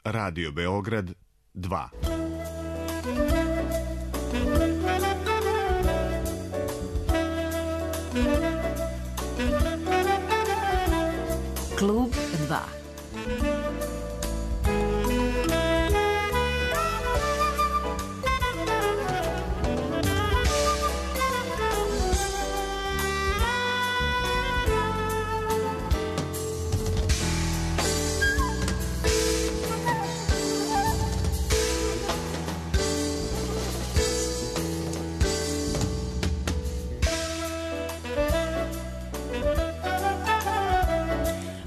Radio Beograd 2. Klub 2.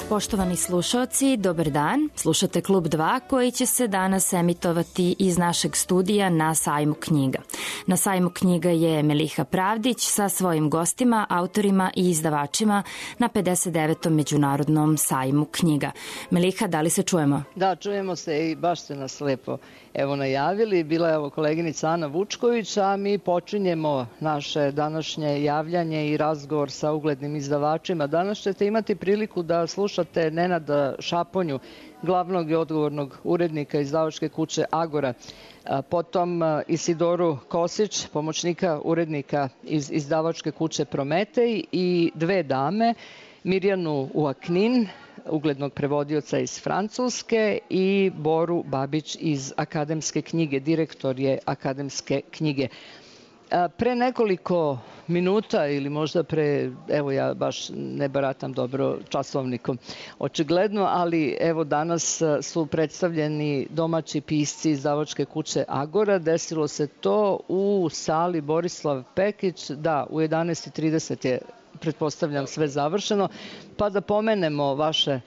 Poštovani slušaoci, dobar dan. Slušate Klub 2 koji će se danas emitovati iz našeg studija na Sajmu knjiga. Na Sajmu knjiga je Meliha Pravdić sa svojim gostima, autorima i izdavačima na 59. Međunarodnom sajmu knjiga. Meliha, da li se čujemo? Da, čujemo se i baš ste nas lepo najavili. Bila je koleginica Ana Vučković, a mi počinjemo naše današnje javljanje i razgovor sa uglednim izdavačima. Danas ćete imati priliku da slušate Nenada Šaponju, glavnog i odgovornog urednika izdavačke kuće Agora, potom Isidoru Kosić, pomoćnika urednika iz izdavačke kuće Prometej i dve dame, Mirjanu Uaknin, uglednog prevodioca iz Francuske, i Boru Babić iz Akademske knjige, direktor je Akademske knjige. Pre nekoliko minuta ili možda pre, evo ja baš ne baratam dobro časovnikom, očigledno, ali evo danas su predstavljeni domaći pisci izdavačke kuće Agora. Desilo se to u sali Borislav Pekić, da, u 11:30 je, pretpostavljam, sve završeno, pa da pomenemo vaše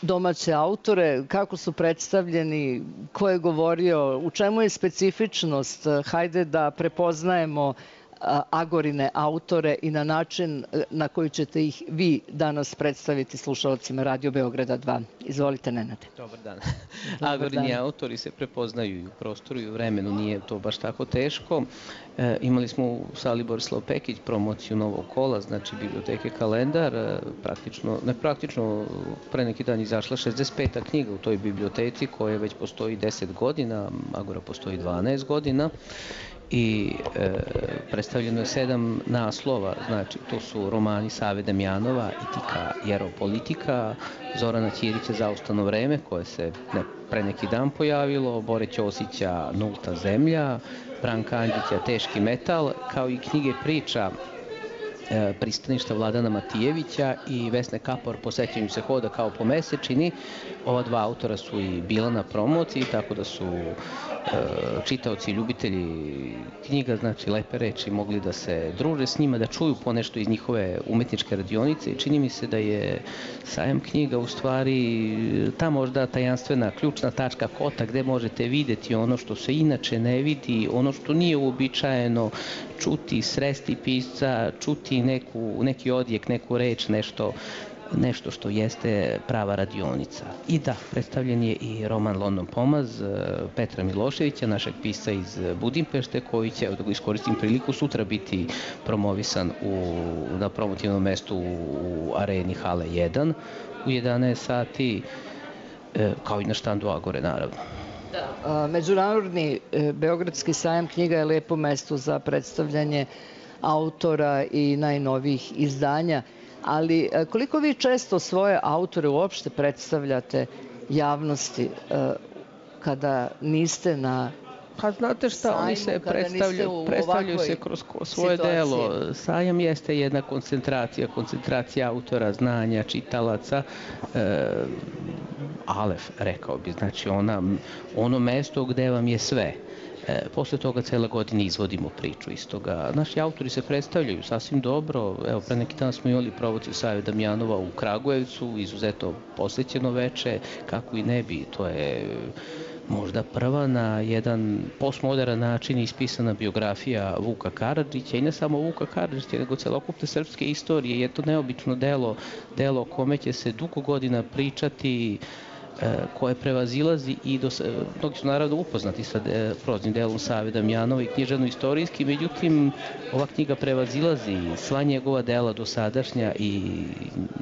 domaće autore, kako su predstavljeni, ko je govorio, u čemu je specifičnost, hajde da prepoznajemo Agorine autore i na način na koji ćete ih vi danas predstaviti slušalcima Radio Beograda 2. Izvolite, Nenade. Dobar dan. Agorini autori se prepoznaju i u prostoru i u vremenu, nije to baš tako teško. Imali smo u sali Borislav Pekić promociju novog kola, znači biblioteke Kalendar, praktično pre neki dan izašla 65. knjiga u toj biblioteci koja već postoji 10 godina, Agora postoji 12 godina. I predstavljeno je 7 naslova, znači to su romani Save Damjanova, Etika jeropolitika, Zorana Ćirića Zaustavno vreme, koje se pre neki dan pojavilo, Bore Ćosića Nulta zemlja, Branka Andjića Teški metal, kao i knjige priča Pristaništa Vladana Matijevića i Vesne Kapor Po sećanju se hoda kao po mesečini. Ova dva autora su i bila na promociji, tako da su čitaoci i ljubitelji knjiga, znači lepe reči, mogli da se druže s njima, da čuju ponešto iz njihove umetničke radionice. I čini mi se da je sajam knjiga u stvari ta možda tajanstvena ključna tačka kota gde možete videti ono što se inače ne vidi, ono što nije uobičajeno čuti, sresti pisca, čuti neki odjek, neku reč, nešto što jeste prava radionica. I da, predstavljen je i roman London Pomaz Petra Miloševića, našeg pisca iz Budimpešte, koji će, da iskoristim priliku, sutra biti promovisan na promotivnom mestu u areni Hale 1 u 11 sati, kao i na štandu Agore, naravno. Međunarodni Beogradski sajam knjiga je lepo mesto za predstavljanje autora i najnovijih izdanja, ali koliko vi često svoje autore uopšte predstavljate javnosti kada niste na Pa znate šta, oni se predstavljaju se kroz svoje delo. Sajam jeste jedna koncentracija autora, znanja, čitalaca, alef, rekao bi, znači ono mesto gde vam je sve. Posle toga cele godine izvodimo priču iz toga. Naši autori se predstavljaju sasvim dobro. Evo, pre neki dan smo imali promociju Save Damjanova u Kragujevcu, izuzetno posvećeno veče, kako i ne bi. To je možda prva na jedan postmoderan način ispisana biografija Vuka Karadžića, i ne samo Vuka Karadžića, nego celokupne srpske istorije. Je to neobično delo o kome će se dugo godina pričati, koje prevazilazi i mnogi su naravno upoznati sa proznim delom Save Damjanova i književno-istorijski, međutim ova knjiga prevazilazi sva njegova dela dosadašnja i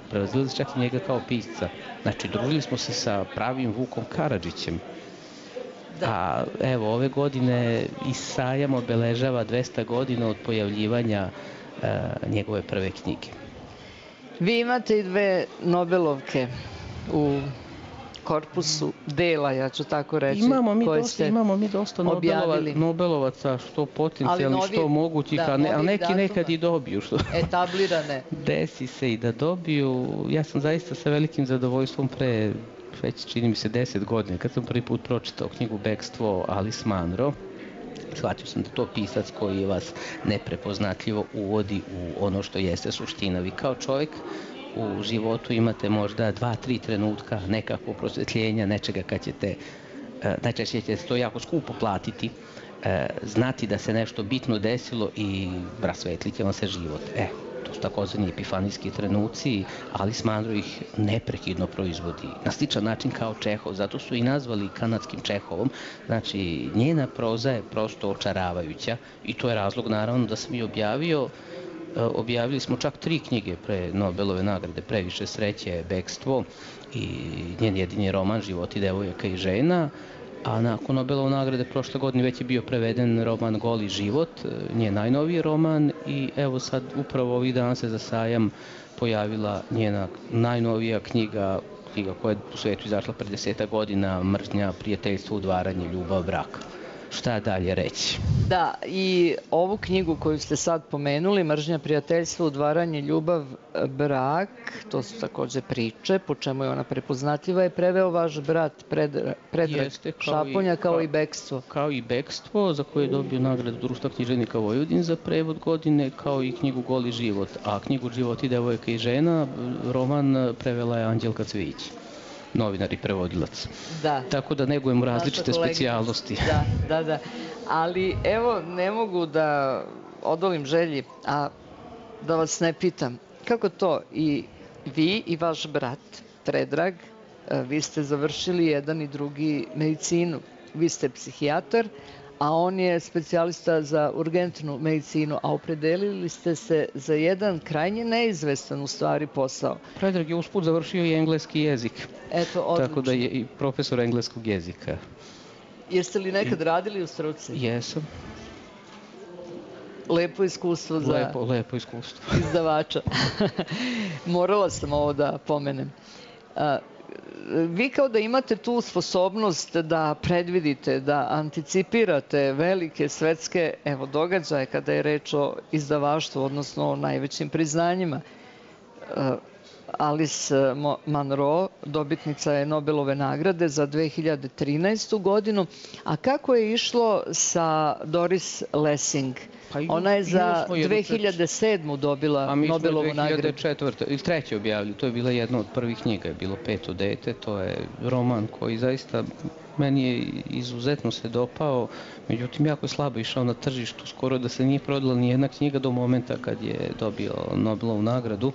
prevazilazi čak i njega kao pisca. Znači, družili smo se sa pravim Vukom Karadžićem. A evo, ove godine i sajam obeležava 200 godina od pojavljivanja njegove prve knjige. Vi imate i 2 Nobelovke u korpusu dela, ja ću tako reći, imamo mi dosta Nobelovaca, što potencijalni, što mogućih, a neki nekad i dobiju. Etablirane. Desi se i da dobiju. Ja sam zaista sa velikim zadovoljstvom već čini mi se 10 godina, kad sam prvi put pročitao knjigu Bekstvo Alice Munro, shvatio sam da to pisac koji vas neprepoznatljivo uvodi u ono što jeste suština. Vi kao čovjek u životu imate možda 2-3 trenutka nekakvog prosvetljenja, nečega kad ćete, najčešće ćete to jako skupo platiti, znati da se nešto bitno desilo i rasvetlit će vam se život. To su takozvani epifanijski trenuci, Alice Munro ih neprekidno proizvodi na sličan način kao Čehov, zato su i nazvali kanadskim Čehovom. Znači, njena proza je prosto očaravajuća i to je razlog naravno da sam i objavili smo čak 3 knjige pre Nobelove nagrade, Previše sreće, Bekstvo i njen jedini roman Životi devojaka i žena. A nakon Nobelove nagrade prošle godine već je bio preveden roman Goli život, njen najnoviji roman, i evo sad upravo ovih dana se za sajam pojavila njena najnovija knjiga koja je u svetu izašla pre 10 godina, Mržnja, prijateljstvo, udvaranje, ljubav, brak. Šta dalje reći? Da, i ovu knjigu koju ste sad pomenuli, Mržnja, prijateljstvo, udvaranje, ljubav, brak, to su takođe priče, po čemu je ona prepoznatljiva, je preveo vaš brat Predrag Šaponja, kao i Bekstvo. Kao i Bekstvo, za koje je dobio nagradu Društva književnika Vojvodine za prevod godine, kao i knjigu Goli život. A knjigu Životi devojaka i žena, roman, prevela je Anđelka Cvijić, novinar i prevodilac. Da. Tako da negujemo različite specijalnosti. Da. Ali evo, ne mogu da odolim želji, a da vas ne pitam, kako to i vi i vaš brat Predrag, vi ste završili jedan i drugi medicinu. Vi ste psihijatar, a on je specijalista za urgentnu medicinu, a opredelili ste se za jedan krajnje neizvestan u stvari posao. Predrag je usput završio i engleski jezik. Eto, odlično. Tako da je i profesor engleskog jezika. Jeste li nekad radili u struci? Jesam. Lepo iskustvo za lepo iskustvo izdavača. Morala sam ovo da pomenem. Vi kao da imate tu sposobnost da predvidite, da anticipirate velike svetske događaje kada je reč o izdavaštvu, odnosno o najvećim priznanjima. Alice Munro, dobitnica je Nobelove nagrade za 2013. godinu. A kako je išlo sa Doris Lessing? Ona je za 2007. dobila Nobelovu nagradu. A mi smo 2004. ili 2003. objavili. To je bila jedna od prvih knjiga. Je bilo Peto dete. To je roman koji zaista meni je izuzetno se dopao. Međutim, jako je slabo išao na tržištu. Skoro da se nije prodala ni jedna knjiga do momenta kad je dobio Nobelovu nagradu.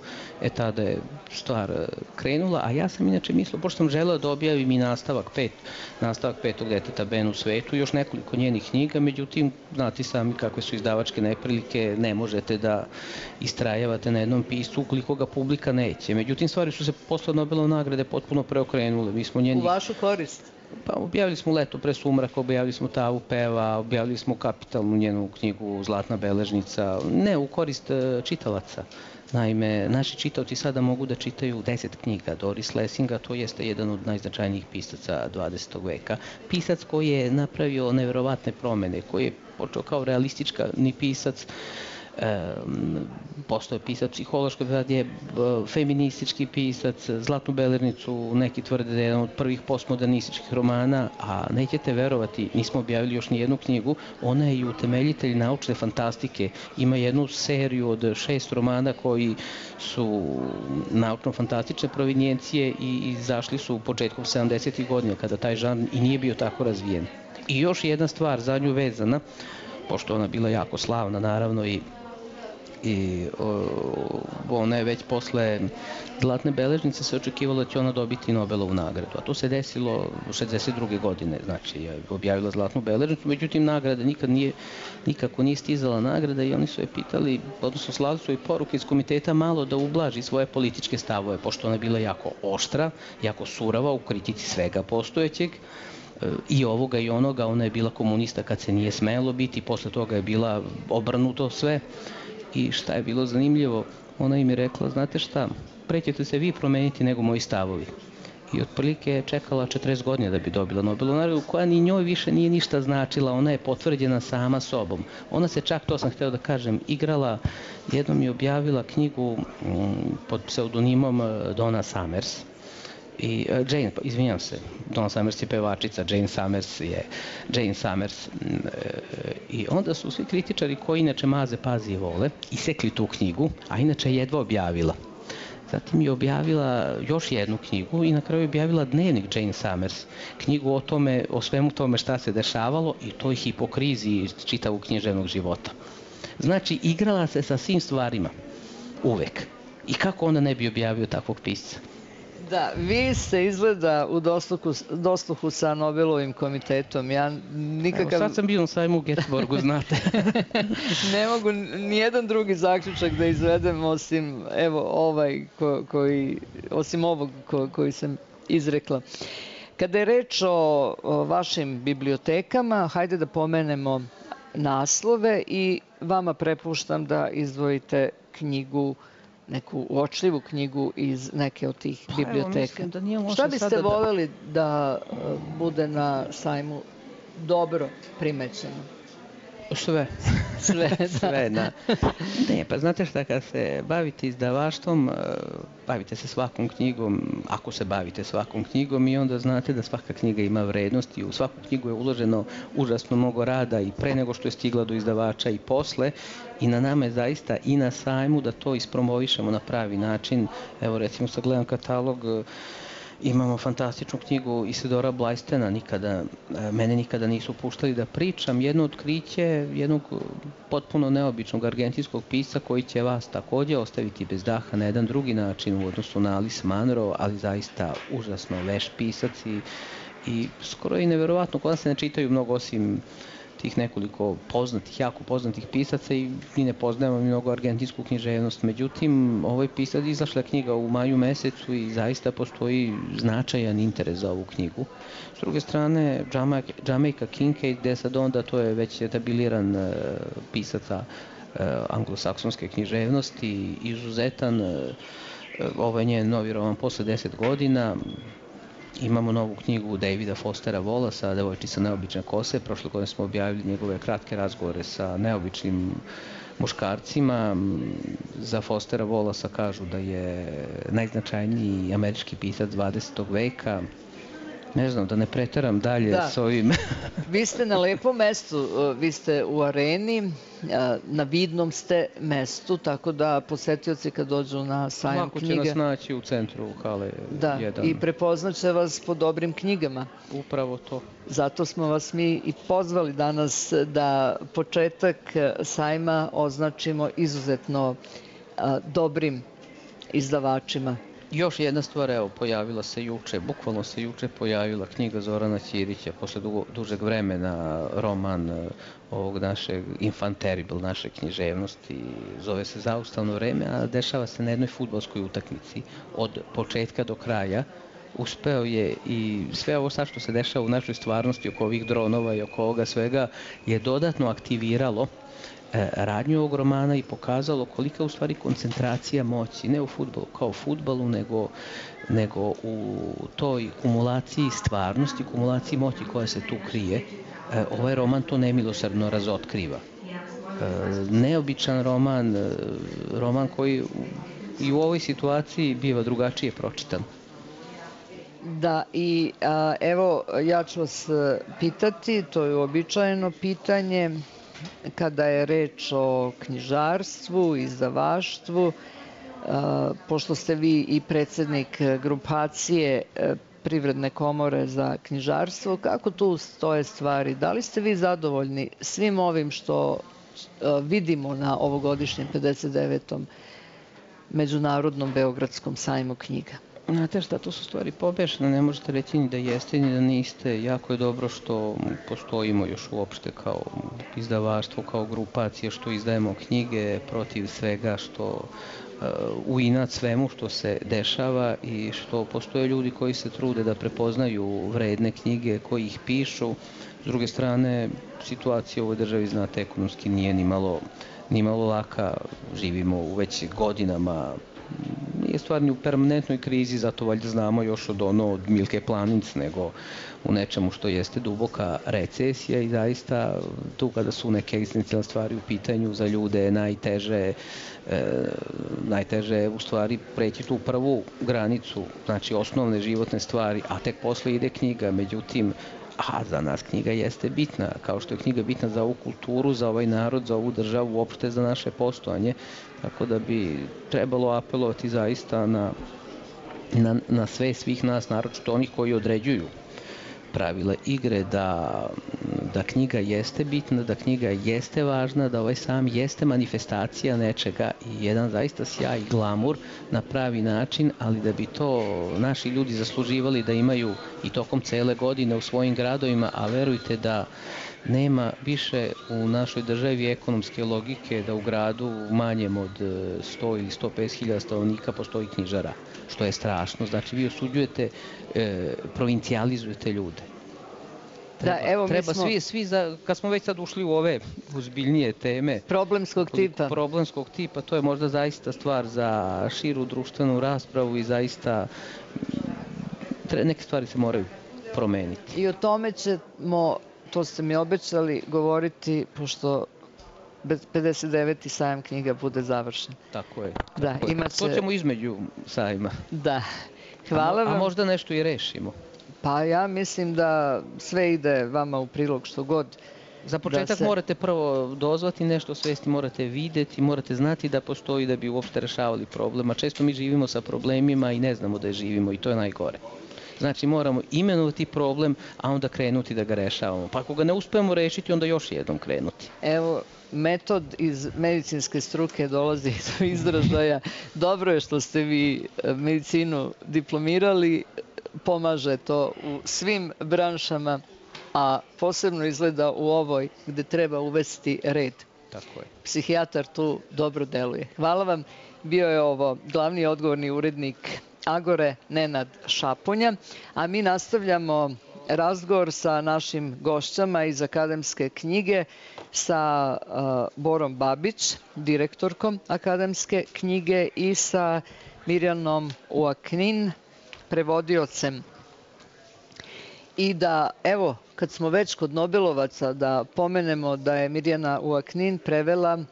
Tada je stvar krenula. A ja sam inače mislio, pošto sam želeo da objavim i nastavak Petog deteta Ben u svetu, još nekoliko njenih knjiga. Međutim, znate sami kakve su izdavačke neprilike, ne možete da istrajavate na jednom piscu ukoliko ga publika neće. Međutim, stvari su se posle Nobelove nagrade potpuno preokrenule. U vašu korist? Pa objavili smo Leto pre sumraka, objavili smo Tavu peva, objavili smo kapitalnu njenu knjigu Zlatna beležnica, ne u korist čitalaca. Naime, naši čitaoci sada mogu da čitaju 10 knjiga Doris Lessinga, to jeste jedan od najznačajnijih pisaca 20. veka. Pisac koji je napravio neverovatne promene, koji je počeo kao realistički pisac, postao je pisac psihološki, sad je feministički pisac, Zlatnu beležnicu neki tvrde da je jedan od prvih postmodernističkih romana, a nećete verovati, nismo objavili još ni jednu knjigu, ona je i utemeljitelj naučne fantastike, ima jednu seriju od 6 romana koji su naučno-fantastične provenijencije i izašli su početkom 70. godina kada taj žanr i nije bio tako razvijen. I još jedna stvar za nju vezana, pošto ona bila jako slavna naravno i ona je već posle Zlatne beležnice se očekivalo da će ona dobiti Nobelovu nagradu, a to se desilo 62. godine, znači je objavila Zlatnu beležnicu, međutim nagrada nikako nije stizala nagrada i oni su je pitali, odnosno slali su joj poruke iz komiteta malo da ublaži svoje političke stavove, pošto ona je bila jako oštra, jako surava u kritici svega postojećeg. i ovoga i onoga. Ona je bila komunista kad se nije smelo biti, posle toga je bila obrnuto sve. I šta je bilo zanimljivo, ona im je rekla, znate šta, pre ćete se vi promeniti nego moji stavovi. I otprilike je čekala 40 godina da bi dobila Nobelovu nagradu, koja ni njoj više nije ništa značila, ona je potvrđena sama sobom. Ona se čak, to sam hteo da kažem, igrala, jednom je objavila knjigu pod pseudonimom Donna Summers. Donna Summers je pevačica, Jane Summers. I onda su svi kritičari koji inače maze, pazi i vole, isekli tu knjigu, a inače jedva objavila. Zatim je objavila još jednu knjigu i na kraju je objavila dnevnik Jane Summers, knjigu o svemu tome šta se dešavalo i toj hipokriziji čitavog književnog života. Znači, igrala se sa svim stvarima, uvek. I kako onda ne bi objavio takvog pisca? Da, vi ste izgleda u dosluhu sa Nobelovim komitetom. Ja nikakav... Evo, sad sam bio na sajmu u Göteborgu, znate. Ne mogu nijedan drugi zaključak da izvedem osim osim ovog koji sam izrekla. Kada je reč o vašim bibliotekama, hajde da pomenemo naslove i vama prepuštam da izdvojite knjigu, neku uočljivu knjigu iz neke od tih biblioteka. Šta biste voljeli da bude na sajmu dobro primećeno? Sve. Sve, da. Ne, pa znate šta, kad se bavite izdavaštvom, bavite se svakom knjigom, ako se bavite svakom knjigom, i onda znate da svaka knjiga ima vrednost i u svaku knjigu je uloženo užasno mnogo rada i pre nego što je stigla do izdavača i posle, i na nama je zaista i na sajmu da to ispromovišemo na pravi način. Evo, recimo, sad gledam katalog, imamo fantastičnu knjigu Isidora Blajstena, mene nikada nisu puštali da pričam, jedno otkriće jednog potpuno neobičnog argentinskog pisca koji će vas takođe ostaviti bez daha na jedan drugi način u odnosu na Alice Munro, ali zaista užasno veš pisac i skoro je neverovatno, kod nas se ne čitaju mnogo osim tih nekoliko jako poznatih pisaca i mi ne poznajemo mnogo argentinsku književnost. Međutim, ovaj pisac, izašla knjiga u maju mesecu i zaista postoji značajan interes za ovu knjigu. S druge strane, Jamaica Kincaid, gde sad onda to je već etabiliran pisaca anglosaksonske književnosti, izuzetan, ovaj njen novi roman Posle 10 godina. Imamo novu knjigu Davida Fostera Wallace, Devojčica neobične kose. Prošle godine smo objavili njegove kratke razgovore sa neobičnim muškarcima. Za Fostera Wallace kažu da je najznačajniji američki pisac 20. veka. Ne znam, da ne preteram dalje s ovim. Vi ste na lepom mestu, vi ste u Areni, na vidnom ste mestu, tako da posetioci kad dođu na sajam knjiga... Lako će nas naći u centru hale 1. Da, i prepoznaće vas po dobrim knjigama. Upravo to. Zato smo vas mi i pozvali danas da početak sajma označimo izuzetno dobrim izdavačima. Još jedna stvar, evo, pojavila se juče, bukvalno se juče pojavila knjiga Zorana Ćirića, posle dužeg vremena, roman ovog našeg Infant Terrible, naše književnosti, zove se Zaustavno vreme, a dešava se na jednoj fudbalskoj utakmici od početka do kraja. Uspeo je i sve ovo sad što se dešava u našoj stvarnosti oko ovih dronova i oko ovoga svega je dodatno aktiviralo radnju ovog romana i pokazalo kolika je u stvari koncentracija moći, ne u fudbalu kao u fudbalu, nego u toj kumulaciji stvarnosti, kumulaciji moći koja se tu krije. Ovaj roman to nemilosrdno razotkriva. Neobičan roman koji i u ovoj situaciji biva drugačije pročitan. Da, i evo, ja ću vas pitati, to je uobičajeno pitanje, kada je reč o knjižarstvu, izdavaštvu, pošto ste vi i predsednik grupacije Privredne komore za knjižarstvo, kako tu stoje stvari? Da li ste vi zadovoljni svim ovim što vidimo na ovogodišnjem 59. Međunarodnom Beogradskom sajmu knjiga? Znate šta, to su stvari pobešne, ne možete reći ni da jeste ni da niste. Jako je dobro što postojimo još uopšte kao izdavaštvo, kao grupacija, što izdajemo knjige protiv svega što u inat svemu što se dešava i što postoje ljudi koji se trude da prepoznaju vredne knjige, koji ih pišu. S druge strane, situacija u ovoj državi, znate, ekonomski nije ni malo laka. Živimo u već godinama, nije stvar ni u permanentnoj krizi, zato valjda znamo još od Milke Planinc, nego u nečemu što jeste duboka recesija i zaista tu kada su neke egzistencijalne stvari u pitanju za ljude najteže je u stvari preći tu prvu granicu, znači osnovne životne stvari, a tek posle ide knjiga. Međutim, za nas knjiga jeste bitna, kao što je knjiga bitna za ovu kulturu, za ovaj narod, za ovu državu, uopšte za naše postojanje, tako da bi trebalo apelovati zaista na sve svih nas, naročito onih koji određuju pravila igre, da knjiga jeste bitna, da knjiga jeste važna, da ovaj sam jeste manifestacija nečega i jedan zaista sjaj i glamur na pravi način, ali da bi to naši ljudi zasluživali da imaju i tokom cele godine u svojim gradovima, a verujte da nema više u našoj državi ekonomske logike da u gradu manjem od 100 ili 150.000 stanovnika postoji knjižara, što je strašno. Znači vi osuđujete, provincijalizujete ljude. Treba svi, kad smo već sad ušli u ove ozbiljnije teme problemskog tipa, to je možda zaista stvar za širu društvenu raspravu i zaista neke stvari se moraju promeniti. I o tome ćemo, to ste mi obećali, govoriti pošto 59. sajam knjiga bude završen. Tako je. To ćemo između sajma. Da. Hvala vam. A možda nešto i rešimo. Pa ja mislim da sve ide vama u prilog što god. Za početak morate prvo dozvati nešto svesti, morate videti, morate znati da postoji da bi uopšte rešavali problem. A često mi živimo sa problemima i ne znamo da je živimo i to je najgore. Znači moramo imenovati problem, a onda krenuti da ga rešavamo. Pa ako ga ne uspemo rešiti, onda još jednom krenuti. Evo, metod iz medicinske struke dolazi do izražaja. Dobro je što ste vi medicinu diplomirali, pomaže to u svim branšama, a posebno izgleda u ovoj gde treba uvesti red. Tako je. Psihijatar tu dobro deluje. Hvala vam. Bio je ovo glavni odgovorni urednik Agore, Nenad Šaponja, a mi nastavljamo razgovor sa našim gošćama iz Akademske knjige, sa Borom Babić, direktorkom Akademske knjige, i sa Mirjanom Uaknin, prevodiocem. I da, evo, kad smo već kod Nobelovaca, da pomenemo da je Mirjana Uaknin prevela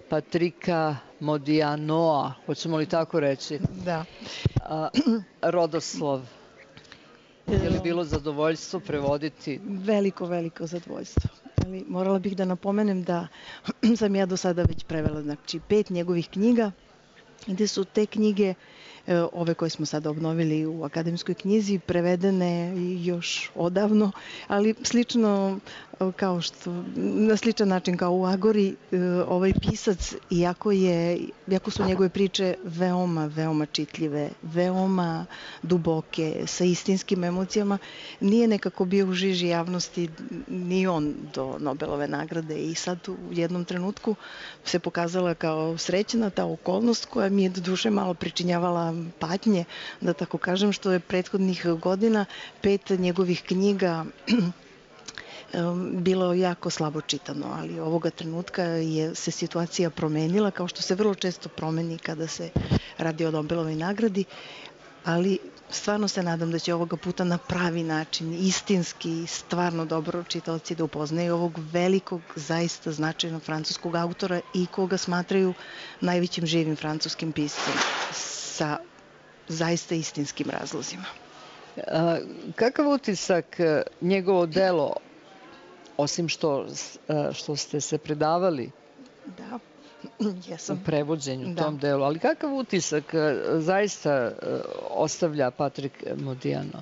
Patrika Modianoa, hoćemo li tako reći? Da. Rodoslov. Je li bilo zadovoljstvo prevoditi? Veliko zadovoljstvo. Ali morala bih da napomenem da sam ja do sada već prevela 5 njegovih knjiga, gde su te knjige, ove koje smo sada obnovili u Akademskoj knjizi, prevedene još odavno, ali slično kao što, na sličan način kao u Agori, ovaj pisac, iako su njegove priče veoma čitljive, veoma duboke, sa istinskim emocijama, nije nekako bio u žiži javnosti ni on do Nobelove nagrade, i sad u jednom trenutku se pokazala kao srećna ta okolnost koja mi je do duše malo pričinjavala patnje, da tako kažem, što je prethodnih godina 5 njegovih knjiga bilo jako slabo čitano, ali ovoga trenutka se situacija promenila, kao što se vrlo često promeni kada se radi o Nobelovoj nagradi, ali stvarno se nadam da će ovoga puta na pravi način, istinski, stvarno dobro čitaoci da upoznaju ovog velikog, zaista značajnog francuskog autora i koga smatraju najvećim živim francuskim piscem sa zaista istinskim razlozima. Kakav utisak njegovo delo, osim što ste se predavali u prevođenju tom delu, ali kakav utisak zaista ostavlja Patrik Modiano?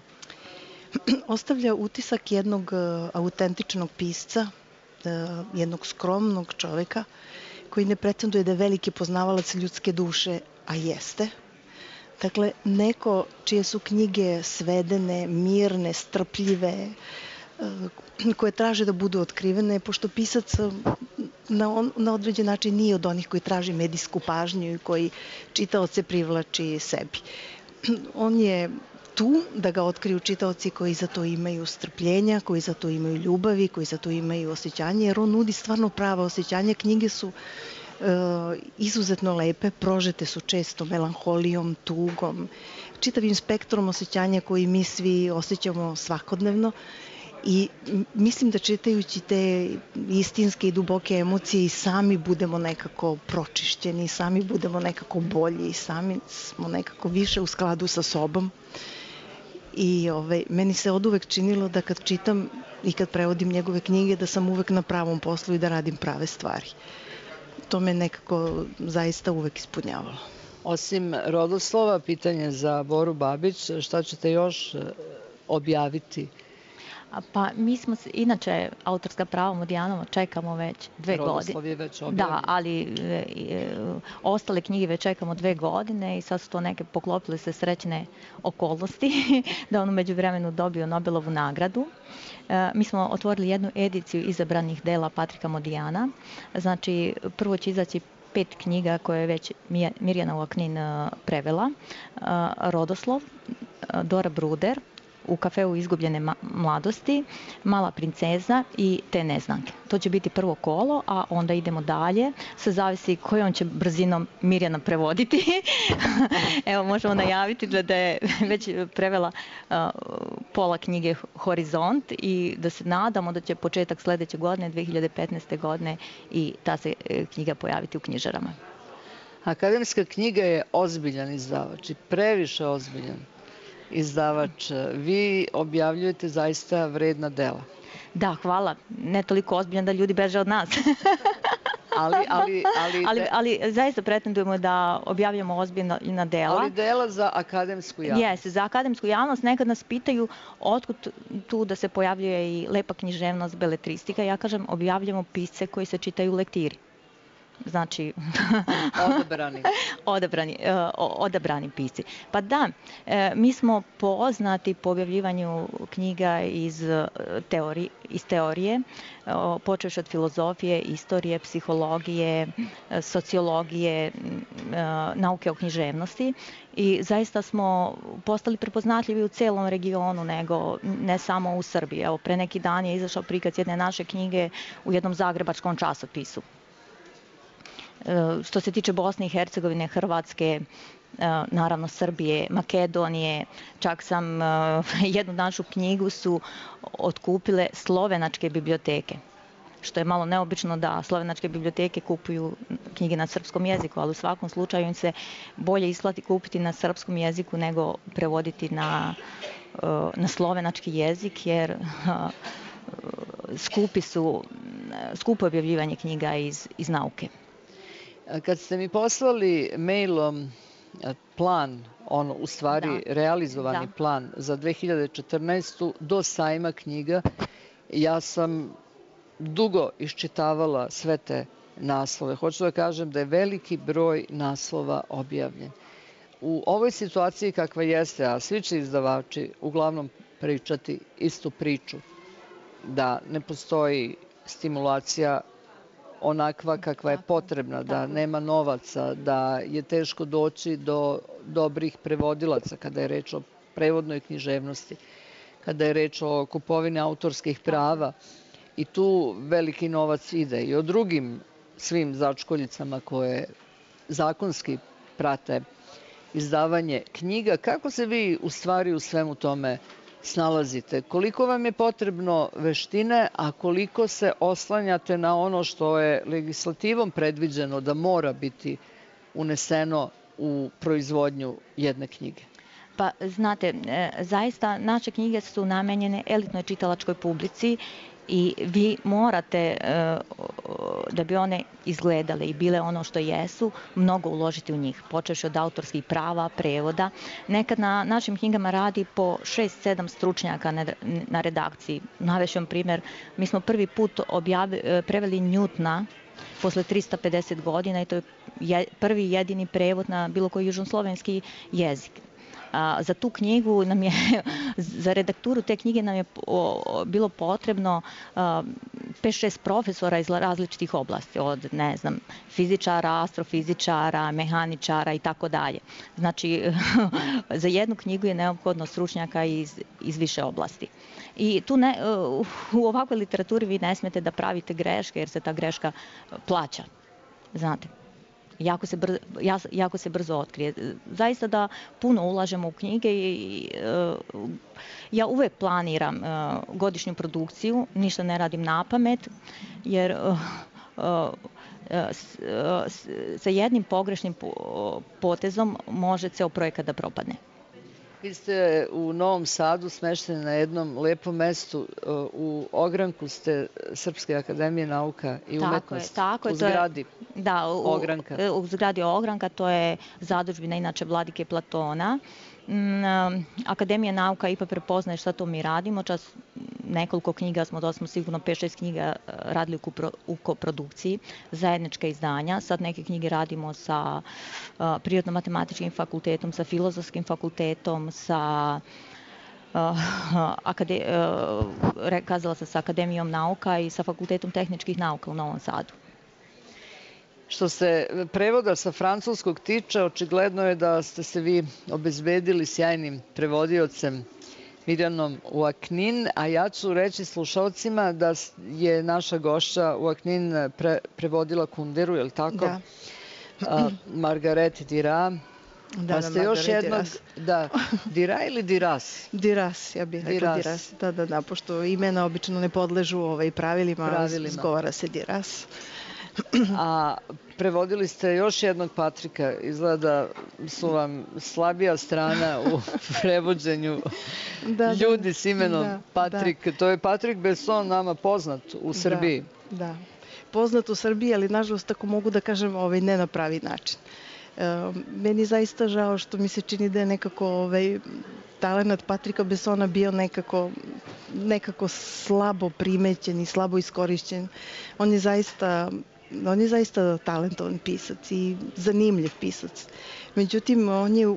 Ostavlja utisak jednog autentičnog pisca, jednog skromnog čoveka koji ne pretenduje da je veliki poznavalac ljudske duše, a jeste. Dakle, neko čije su knjige svedene, mirne, strpljive, koje traže da budu otkrivene, pošto pisac na određen način nije od onih koji traži medijsku pažnju i koji čitaoce privlači sebi. On je tu da ga otkriju čitaoci koji za to imaju strpljenja, koji za to imaju ljubavi, koji za to imaju osjećanje, jer on nudi stvarno prava osjećanja. Knjige su izuzetno lepe, prožete su često melanholijom, tugom, čitavim spektrom osjećanja koji mi svi osjećamo svakodnevno. I mislim da čitajući te istinske i duboke emocije i sami budemo nekako pročišćeni, sami budemo nekako bolji, sami smo nekako više u skladu sa sobom. I meni se oduvek činilo da kad čitam i kad prevodim njegove knjige da sam uvek na pravom poslu i da radim prave stvari. To me nekako zaista uvek ispunjavalo. Osim rodoslova, pitanje za Boru Babić, šta ćete još objaviti? Pa mi smo, inače, autorska prava Modijanova čekamo već 2 godine. Rodoslov je već objavljen. Da, ali ostale knjige već čekamo 2 godine i sad su to neke poklopile se srećne okolnosti da on u međuvremenu dobio Nobelovu nagradu. Mi smo otvorili jednu ediciju izabranih dela Patrika Modijana. Znači, prvo će izaći 5 knjiga koje je već Mirjana Uaknin prevela. Rodoslov, Dora Bruder, U kafeu izgubljene mladosti, Mala princeza i Te neznanke. To će biti prvo kolo, a onda idemo dalje. Sve zavisi kojom će brzinom Mirjana prevoditi. Evo, možemo najaviti da je već prevela pola knjige Horizont i da se nadamo da će početak sledeće godine, 2015. godine, i ta se knjiga pojaviti u knjižarama. Akademska knjiga je ozbiljan izdavač i previše ozbiljan izdavač. Vi objavljujete zaista vredna dela. Da, hvala. Ne toliko ozbiljan da ljudi beže od nas. Ali zaista pretendujemo da objavljamo ozbiljna dela. Ali dela za akademsku javnost. Jeste, za akademsku javnost. Nekad nas pitaju otkud tu da se pojavljuje i lepa književnost, beletristika. Ja kažem, objavljamo pisce koji se čitaju u lektiri. Znači, odabrani pisci. Pa da, mi smo poznati po objavljivanju knjiga iz teorije, počevši od filozofije, istorije, psihologije, sociologije, nauke o književnosti i zaista smo postali prepoznatljivi u celom regionu, nego ne samo u Srbiji. Evo, pre neki dan je izašao prikaz jedne naše knjige u jednom zagrebačkom časopisu. Što se tiče Bosne i Hercegovine, Hrvatske, naravno Srbije, Makedonije, čak sam jednu našu knjigu su otkupile slovenačke biblioteke, što je malo neobično da slovenačke biblioteke kupuju knjige na srpskom jeziku, ali u svakom slučaju im se bolje isplati kupiti na srpskom jeziku nego prevoditi na slovenački jezik, jer skupo objavljivanje knjiga iz nauke. Kad ste mi poslali mailom plan, u stvari realizovani plan za 2014. do sajma knjiga, ja sam dugo iščitavala sve te naslove. Hoću da kažem da je veliki broj naslova objavljen. U ovoj situaciji kakva jeste, a svi će izdavači uglavnom pričati istu priču, da ne postoji stimulacija onakva kakva je potrebna, da nema novaca, da je teško doći do dobrih prevodilaca kada je reč o prevodnoj književnosti, kada je reč o kupovini autorskih prava i tu veliki novac ide i o drugim svim začkoljicama koje zakonski prate izdavanje knjiga. Kako se vi u stvari u svemu tome snalazite? Koliko vam je potrebno veštine, a koliko se oslanjate na ono što je legislativom predviđeno da mora biti uneseno u proizvodnju jedne knjige? Pa, znate, zaista naše knjige su namenjene elitnoj čitalačkoj publici i vi morate, da bi one izgledale i bile ono što jesu, mnogo uložiti u njih, počevši od autorskih prava, prevoda. Nekad na našim knjigama radi po 6-7 stručnjaka na redakciji. Navešću vam primjer, mi smo prvi put preveli Njutna posle 350 godina i to je prvi jedini prevod na bilo koji južnoslovenski jezik. Za tu knjigu nam je, za redakturu te knjige nam je bilo potrebno 5-6 profesora iz različitih oblasti, od, ne znam, fizičara, astrofizičara, mehaničara i tako dalje. Znači, za jednu knjigu je neophodno stručnjaka iz više oblasti. I tu u ovakvoj literaturi vi ne smete da pravite greške, jer se ta greška plaća. Znate, jako se brzo otkrije. Zaista da puno ulažemo u knjige i ja uvek planiram godišnju produkciju, ništa ne radim napamet, jer sa jednim pogrešnim potezom može ceo projekat da propadne. Vi ste u Novom Sadu smešteni na jednom lepom mestu. U ogranku ste Srpske akademije nauka i umetnosti. Tako je, u zgradi Ogranka. U zgradi Ogranka, to je zadužbina inače Vladike Platona. Akademija nauka ipak prepoznaje šta to mi radimo. Čas nekoliko knjiga smo sigurno 5-6 knjiga radili u koprodukciji, zajednička izdanja. Sad neke knjige radimo sa Prirodno-matematičkim fakultetom, sa Filozofskim fakultetom, sa kazala sam sa Akademijom nauka i sa Fakultetom tehničkih nauka u Novom Sadu. Što se prevoda sa francuskog tiče, očigledno je da ste se vi obezbedili sjajnim prevodiocem Mirjanom Uaknin, a ja ću reći slušalcima da je naša gošća Uaknin prevodila Kunderu, je li tako? Da. Margaret Dira. Da, Margaret Da, Dira ili Diras? Diras, ja bih rekla Diras. Da, pošto imena obično ne podležu pravilima. Zgovara se Diras. A prevodili ste još jednog Patrika, izgleda su vam slabija strana u prevođenju ljudi s imenom Patrik. To je Patrik Besson, nama poznat u Srbiji. Da, poznat u Srbiji, ali nažalost tako mogu da kažem ne na pravi način. Meni je zaista žao što mi se čini da je nekako talenat Patrika Bessona bio nekako slabo primećen i slabo iskorišćen. On je zaista talentovan pisac i zanimljiv pisac. Međutim, on je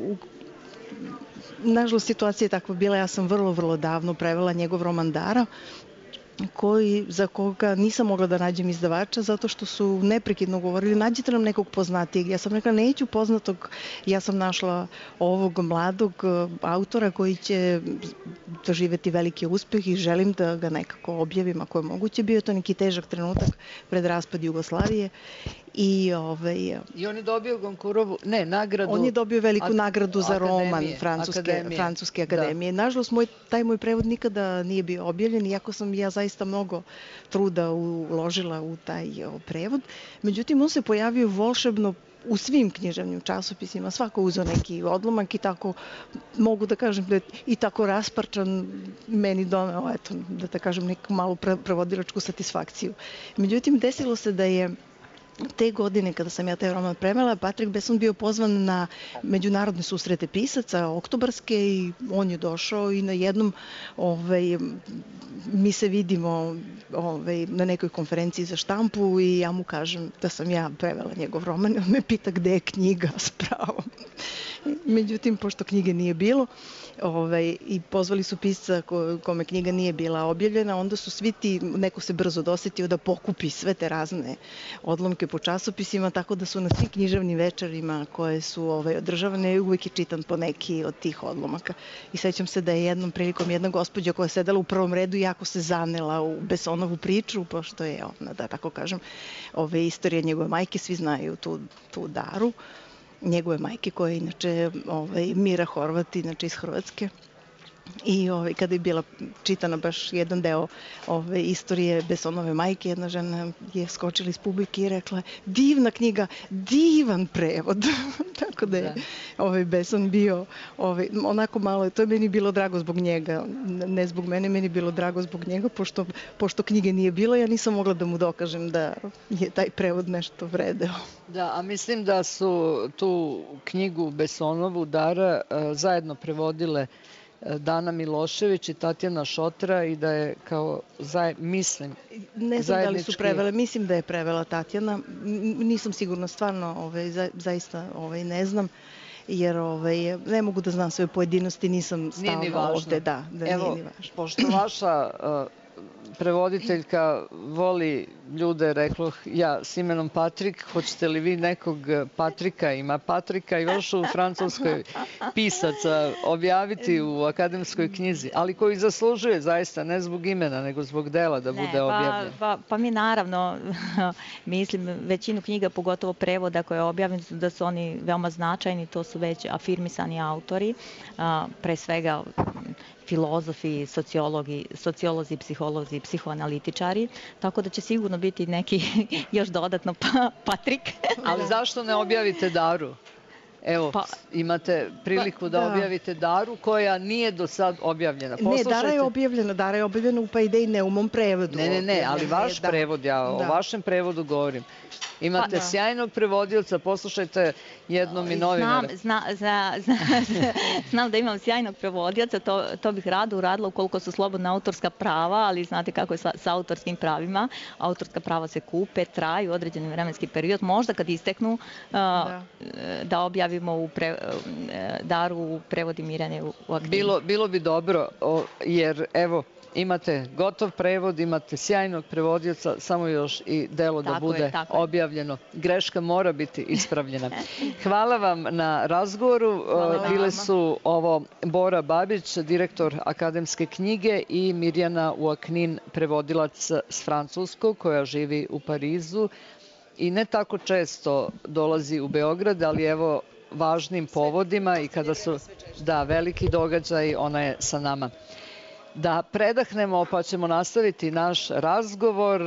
nažalost situacija je takva bila, ja sam vrlo davno prevela njegov roman Dara, za koga nisam mogla da nađem izdavača zato što su neprekidno govorili nađite nam nekog poznatijeg. Ja sam rekla neću poznatog, ja sam našla ovog mladog autora koji će doživeti veliki uspeh i želim da ga nekako objavim ako je moguće. Bio je to neki težak trenutak pred raspad Jugoslavije. I on je dobio Gonkurovu, nagradu. On je dobio veliku nagradu za roman Francuske akademije. Nažalost, taj moj prevod nikada nije bio objavljen, iako sam ja zaista mnogo truda uložila u taj prevod. Međutim, on se pojavio volšebno u svim književnim časopisima, svako uzeo neki odlomak i tako, mogu da kažem da je i tako rasparčan meni doneo, da kažem, neku malu prevodilačku satisfakciju. Međutim, desilo se da je te godine, kada sam ja taj roman prevela, Patrik Besson bio pozvan na međunarodne susrete pisaca, oktobarske, i on je došao i na jednom mi se vidimo na nekoj konferenciji za štampu i ja mu kažem da sam ja prevela njegov roman i on me pita gde je knjiga s pravom. Međutim, pošto knjige nije bilo i pozvali su pisca kome knjiga nije bila objavljena, onda su svi neko se brzo dosetio da pokupi sve te razne odlomke po časopisima, tako da su na svim književnim večerima koje su održavane uvijek je čitan po neki od tih odlomaka. I sećam se da je jednom prilikom jedna gospođa koja je sedela u prvom redu jako se zanela u Bessonovu priču, pošto je ona, da tako kažem, istorija njegove majke, svi znaju tu Daru, njegove majke koja je inače Mira Horvat, inače iz Hrvatske. I kada je bila čitana baš jedan deo istorije Bessonove majke, jedna žena je skočila iz publike i rekla divna knjiga, divan prevod. Tako da je Besson bio onako malo, to je meni bilo drago zbog njega, ne zbog mene, meni bilo drago zbog njega, pošto knjige nije bilo, ja nisam mogla da mu dokažem da je taj prevod nešto vredeo. Da, a mislim da su tu knjigu Bessonovu Dara zajedno prevodile Dana Milošević i Tatjana Šotra i da je mislim, ne znam da li su prevele, mislim da je prevela Tatjana, nisam sigurna, stvarno zaista ne znam. jer ne mogu da znam sve pojedinosti, nisam stalno ovde. Da, evo, nije ni važno. Pošto vaša prevoditeljka voli ljude, reklo ja s imenom Patrik, hoćete li vi nekog Patrika, ima Patrika još u Francuskoj pisaca, objaviti u akademskoj knjizi, ali koji zaslužuje zaista, ne zbog imena, nego zbog dela da bude objavljen? Pa mi naravno, mislim, većinu knjiga, pogotovo prevoda koje je objavljeno, da su oni veoma značajni, to su već afirmisani autori, pre svega filozofi, sociolozi, psiholozi, psihoanalitičari, tako da će sigurno biti neki još dodatno Patrik. Ali zašto ne objavite Daru? Evo, imate priliku da objavite Daru koja nije do sad objavljena. Ne, Dara je objavljena u pa ide i Neumom prevodu. Ne, ali vaš prevod, ja o vašem prevodu govorim. Imate sjajnog prevodioca, poslušajte jednom i novinara. Znam da imam sjajnog prevodioca, to bih rado uradila ukoliko su slobodna autorska prava, ali znate kako je sa autorskim pravima. Autorska prava se kupe, traju određeni vremenski period, možda kad isteknu da objavimo Daru u prevodi Mirjane u aktivu. Bilo bi dobro, jer evo, imate gotov prevod, imate sjajnog prevodioca, samo još i delo da bude objavljeno. Greška mora biti ispravljena. Hvala vam na razgovoru. Bile su ovo Bora Babić, direktor akademske knjige, i Mirjana Uaknin, prevodilac s francuskog, koja živi u Parizu i ne tako često dolazi u Beograd, ali evo važnim povodima i kada su veliki događaji, ona je sa nama. Da predahnemo, pa ćemo nastaviti naš razgovor.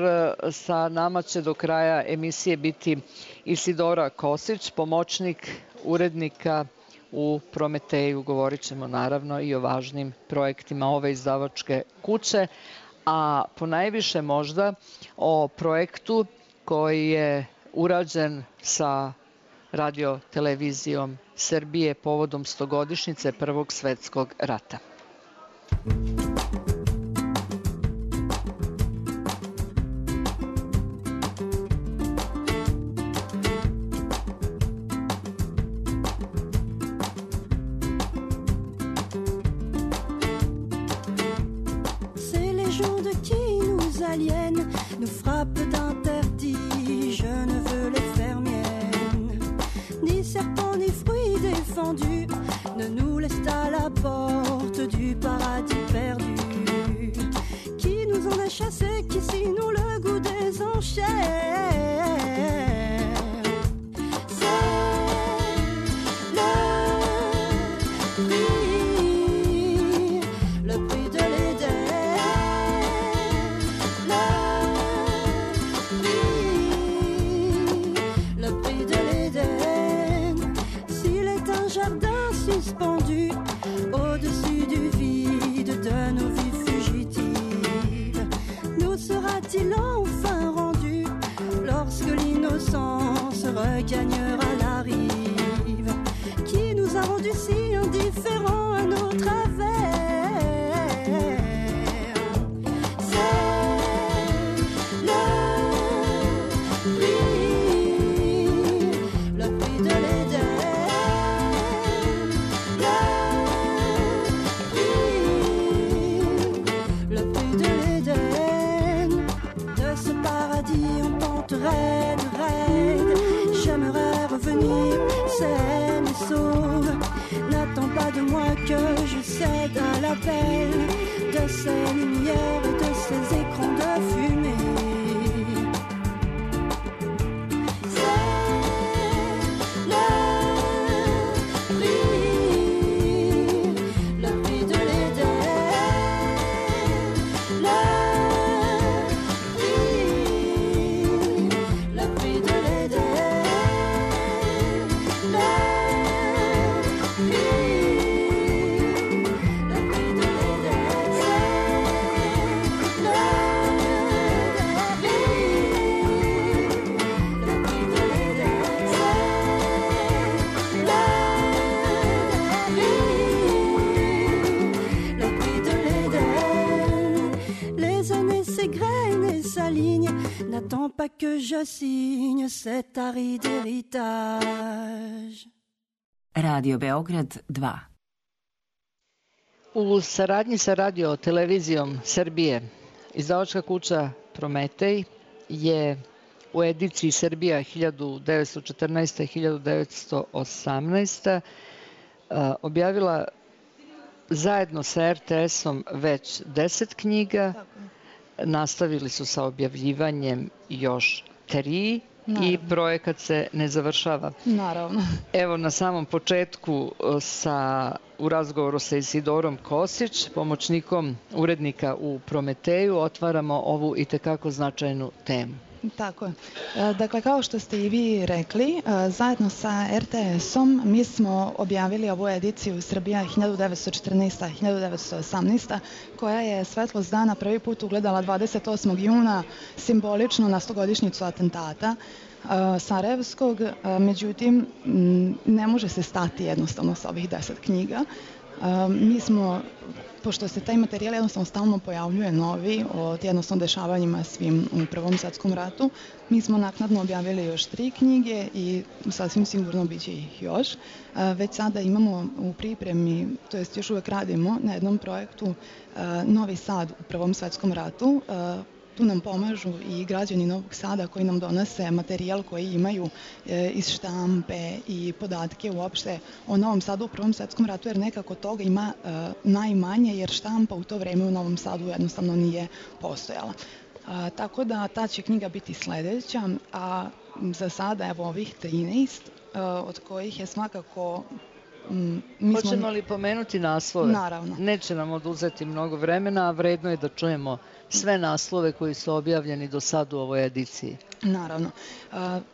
Sa nama će do kraja emisije biti Isidora Kosić, pomoćnik urednika u Prometeju. Govorit ćemo naravno i o važnim projektima ove izdavačke kuće, a ponajviše možda o projektu koji je urađen sa Radio-televizijom Srbije povodom 100-godišnjice Prvog svetskog rata. Ces légendes qui nous aliènent, nous frappent d'interdits, je ne veux les faire miennes. Ni serpents ni fruits défendus ne nous laissent à la porte du paradis perdu. Qui nous en a chassés, qui si nous le goût des enchères. C'est le prix de l'Éden. Le prix de l'Éden. S'il est un jardin suspendu au-dessus du vide de nos vies fugitives, nous sera-t-il enfin rendu lorsque l'innocence regagnera la rive? Qui nous a rendus si indifférents à nos travers? C'est le prix de l'Éden. Le prix de l'Éden. De ce paradis en pente raide, j'aimerais revenir saine et sauve. N'attends pas de moi que je cède à l'appel de ces lumières et de ces écrans de fumée. Le prix de l'Éden. Le prix de l'Éden. Le prix de l'Éden. Les années s'égrènent et s'alignent. N'attends pas que je signe cet aride héritage. Radio Beograd 2. U saradnji sa radio televizijom Srbije, izdavačka kuća Prometej je u ediciji Srbija 1914-1918 objavila zajedno sa RTS-om već 10 knjiga. Nastavili su sa objavljivanjem još 3 i projekat se ne završava. Naravno. Evo na samom početku u razgovoru sa Isidorom Kosić, pomoćnikom urednika u Prometeju, otvaramo ovu itekako značajnu temu. Tako je. Dakle, kao što ste i vi rekli, zajedno sa RTS-om mi smo objavili ovu ediciju Srbija 1914-1918, koja je svetlost dana prvi put ugledala 28. juna, simbolično na 100-godišnjicu atentata Sarajevskog. Međutim, ne može se stati jednostavno sa ovih 10 knjiga. Mi smo, pošto se taj materijal jednostavno stalno pojavljuje novi o jednostavno dešavanjima svim u Prvom svetskom ratu, mi smo naknadno objavili još 3 knjige i sasvim sigurno bit će ih još. Već sada imamo u pripremi, to jest još uvek radimo na jednom projektu Novi Sad u Prvom svetskom ratu. Tu nam pomažu i građani Novog Sada koji nam donose materijal koji imaju iz štampe i podatke uopšte o Novom Sadu u Prvom svetskom ratu, jer nekako toga ima najmanje, jer štampa u to vreme u Novom Sadu jednostavno nije postojala. Tako da ta će knjiga biti sledeća, a za sada evo ovih 13, od kojih je svakako... Hoćemo li pomenuti naslove? Naravno. Neće nam oduzeti mnogo vremena, a vredno je da čujemo sve naslove koji su objavljeni do sad u ovoj ediciji. Naravno.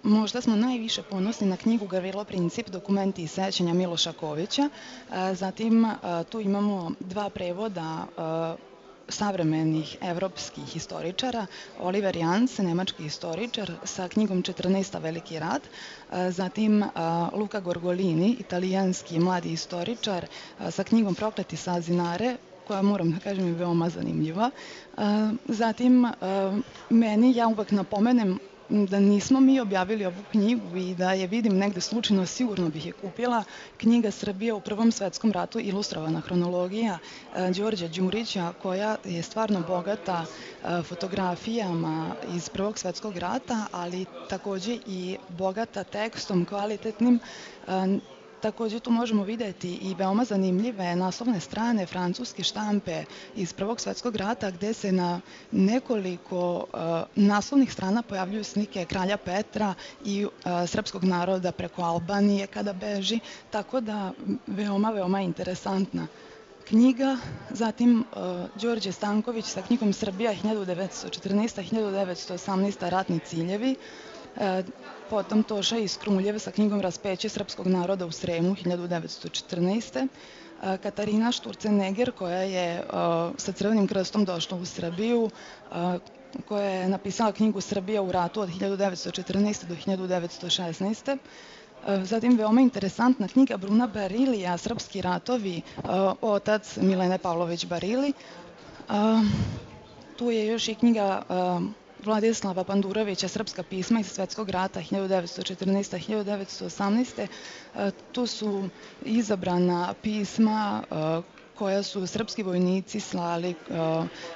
Možda smo najviše ponosni na knjigu Gavrilo Princip, dokumenti i sećanja Miloša Kovića. Zatim tu imamo 2 prevoda savremenih evropskih historičara, Oliver Jans, nemački historičar, sa knjigom 14. Veliki rat, zatim Luca Gorgolini, italijanski mladi historičar, sa knjigom Prokleti Sazinare, koja, moram da kažem, je veoma zanimljiva. Zatim, ja uvek napomenem da nismo mi objavili ovu knjigu i da je vidim negde slučajno, sigurno bih je kupila. Knjiga Srbija u Prvom svetskom ratu, ilustrovana hronologija Đorđa Đurića, koja je stvarno bogata fotografijama iz Prvog svetskog rata, ali takođe i bogata tekstom kvalitetnim. Takođe tu možemo videti i veoma zanimljive naslovne strane francuske štampe iz Prvog svetskog rata, gde se na nekoliko naslovnih strana pojavljuju slike kralja Petra i srpskog naroda preko Albanije kada beži, tako da veoma interesantna knjiga. Zatim Đorđe Stanković sa knjigom Srbija 1914-1918 ratni ciljevi. Potom Toša iz Kruljev sa knjigom Raspeće srpskog naroda u Sremu 1914. Katarina Šturceneger, koja je sa Crvenim krstom došla u Srbiju, koja je napisala knjigu Srbija u ratu od 1914. do 1916. Zatim veoma interesantna knjiga Bruna Barilija, Srpski ratovi, otac Milene Pavlović Barili. Tu je još i knjiga Vladislava Pandurovića, Srpska pisma iz Svetskog rata 1914-1918. Tu su izabrana pisma koja su srpski vojnici slali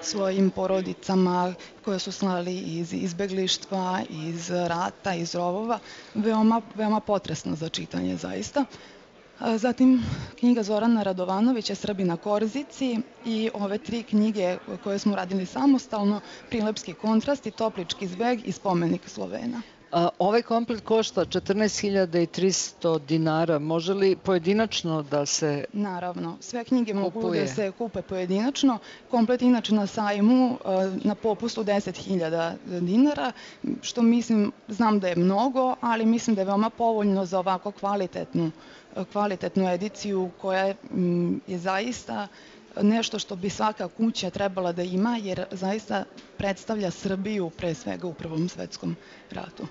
svojim porodicama, koje su slali iz izbeglištva, iz rata, iz rovova. Veoma potresno za čitanje, zaista. Zatim knjiga Zorana Radovanovića, Srbi na Korzici, i ove 3 knjige koje smo radili samostalno, Prilepski kontrast i Toplički zbeg i Spomenik Slovena. Ovaj komplet košta 14.300 dinara. Može li pojedinačno da se... Naravno, sve knjige mogu da se kupe pojedinačno. Komplet inače na sajmu na popustu 10.000 dinara, što znam da je mnogo, ali mislim da je veoma povoljno za ovako kvalitetnu ediciju koja je zaista nešto što bi svaka kuća trebala da ima, jer zaista predstavlja Srbiju pre svega u Prvom svetskom ratu.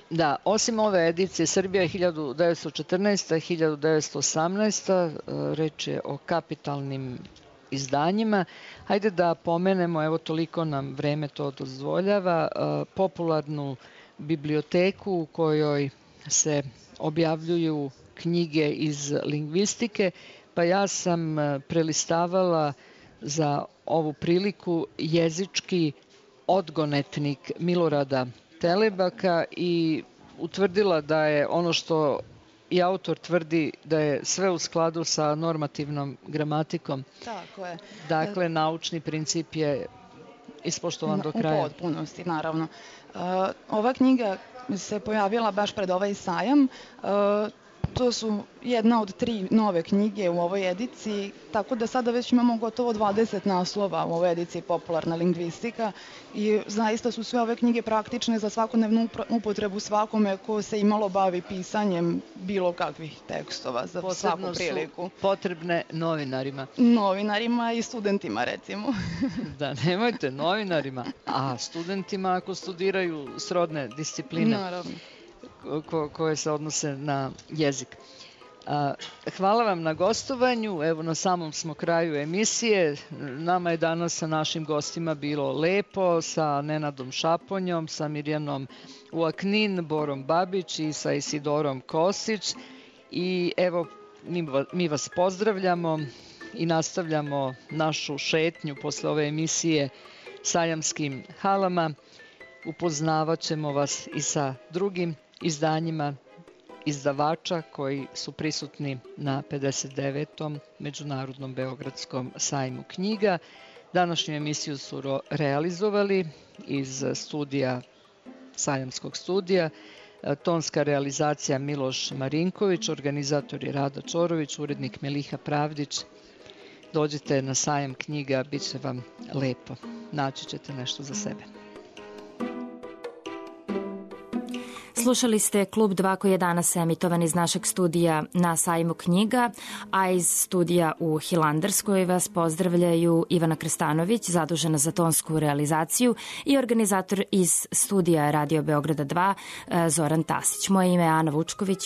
Da, osim ove edicije Srbija 1914-1918, reč je o kapitalnim izdanjima. Hajde da pomenemo, evo toliko nam vreme to dozvoljava, popularnu biblioteku u kojoj se objavljuju knjige iz lingvistike, pa ja sam prelistavala za ovu priliku jezički odgonetnik Milorada Telebaka i utvrdila da je ono što i autor tvrdi da je sve u skladu sa normativnom gramatikom. Tako je. Dakle, naučni princip je ispoštovan do kraja. U potpunosti, naravno. Ova knjiga se pojavila baš pred ovaj sajam. To su jedna od 3 nove knjige u ovoj ediciji, tako da sada već imamo gotovo 20 naslova u ovoj ediciji Popularna lingvistika i zaista su sve ove knjige praktične za svakodnevnu upotrebu svakome ko se imalo bavi pisanjem bilo kakvih tekstova za svaku priliku. Posebno su potrebne novinarima. Novinarima i studentima, recimo. Da, nemojte novinarima, a studentima ako studiraju srodne discipline. Naravno. Koje se odnose na jezik. Hvala vam na gostovanju. Evo, na samom smo kraju emisije. Nama je danas sa našim gostima bilo lepo, sa Nenadom Šaponjom, sa Mirjanom Uaknin, Borom Babić i sa Isidorom Kosić. I evo, mi vas pozdravljamo i nastavljamo našu šetnju posle ove emisije sajamskim halama. Upoznavat ćemo vas i sa drugim izdanjima izdavača koji su prisutni na 59. Međunarodnom Beogradskom sajmu knjiga. Današnju emisiju su realizovali iz studija, sajamskog studija, tonska realizacija Miloš Marinković, organizator je Rada Čorović, urednik Meliha Pravdić. Dođite na sajam knjiga, bit će vam lepo. Naći ćete nešto za sebe. Slušali ste Klub 2 koji je danas emitovan iz našeg studija na sajmu knjiga, a iz studija u Hilandarskoj vas pozdravljaju Ivana Krstanović, zadužena za tonsku realizaciju, i organizator iz studija Radio Beograda 2, Zoran Tasić. Moje ime je Ana Vučković,